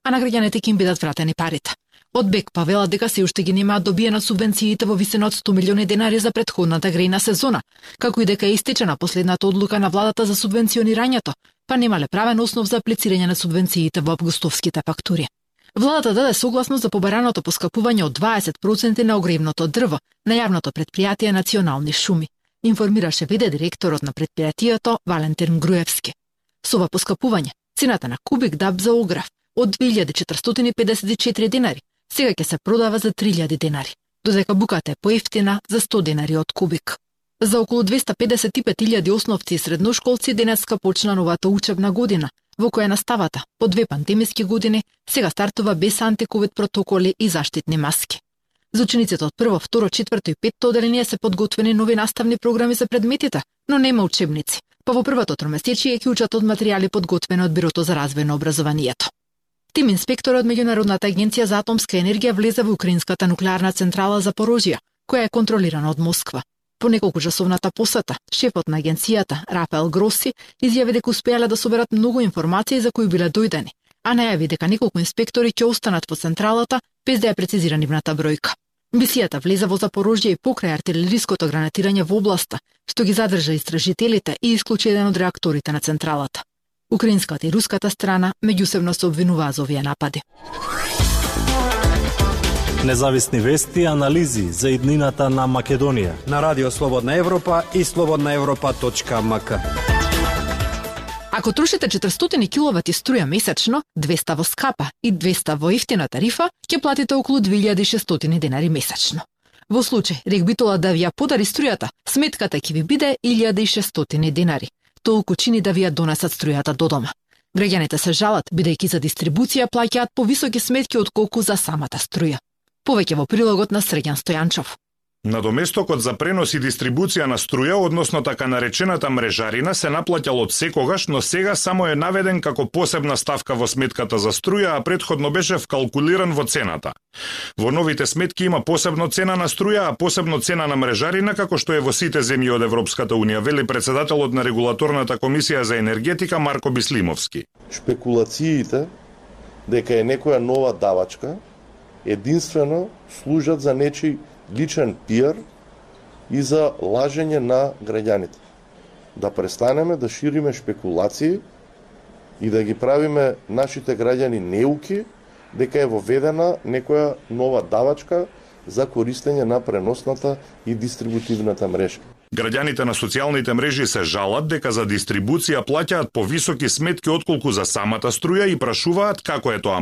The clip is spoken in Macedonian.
а на граѓаните ќе им бидат вратени парите. Од БЕКПА велат дека се уште ги немаат добиена субвенциите во висина од 100 милиони денари за претходната грејна сезона, како и дека е истечена последната одлука на владата за субвенционирањето, па немале правен основ за аплицирање на субвенциите во августовските фактури. Владата даде согласност за побараното поскапување од 20% на огревното дрво на јавното предпријатие Национални шуми, информираше ВД директорот на предпријатието Валентин Груевски. Со ова поскапување, цената на кубик даб за огрев од 2454 денари сега ќе се продава за 3000 денари, додека буката е поевтина за 100 денари од кубик. За околу 255.000 основци и средношколци денеска почна новата учебна година, во која наставата, по 2 пандемиски години, сега стартува без антиковид протоколи и заштитни маски. За учениците од 1, 2, 4 и 5 оделение се подготвени нови наставни програми за предметите, но нема учебници, па во првото тромесечие ќе учат од материјали подготвени од Бирото за развој на образованието. Тим инспекторот од Меѓународната агенција за атомска енергија влезе во украинската нуклеарна централа Запорожје, која е контролирана од Москва. По неколкучасовната посета, шефот на агенцијата, Рафаел Гроси, изјави дека успеале да соберат многу информации за кои биле дојдени, а најави дека неколку инспектори ќе останат во централата без да ја прецизира нивната бројка. Мисијата влезе во Запорожје и покрај артилериското гранатирање во областа, што ги задржа истражителите и исклучи еден од реакторите на централата. Украинската и руската страна меѓусебно се обвинуваа за овие напади. Независни вести и анализи за иднината на Македонија на Радио Слободна Европа и slobodnaevropa.mk. Ако трошите 400 киловати струја месечно, 200 во скапа и 200 во ефтина тарифа, ќе платите околу 2600 денари месечно. Во случај Регбитола да ви ја подари струјата, сметката ќе ви биде 1600 денари. Толку чини да ви ја донесат струјата до дома. Граѓаните се жалат, бидејќи за дистрибуција плаќаат повисоки сметки отколку за самата струја. Повеќе во прилогот на Срѓан Стојанчов. Надоместокот за пренос и дистрибуција на струја, односно така наречената мрежарина, се наплаќал од секогаш, но сега само е наведен како посебна ставка во сметката за струја, а претходно беше вкалкулиран во цената. Во новите сметки има посебно цена на струја, а посебно цена на мрежарина, како што е во сите земји од Европската унија, вели председателот на регулаторната комисија за енергетика Марко Бислимовски. Шпекулациите дека е некоја нова давачка единствено служат за нечи личен пиар и за лажење на граѓаните. Да престанеме да шириме шпекулации и да ги правиме нашите граѓани неуки дека е воведена некоја нова давачка за користење на преносната и дистрибутивната мрежа. Граѓаните на социјалните мрежи се жалат дека за дистрибуција плаќаат повисоки сметки отколку за самата струја и прашуваат како е тоа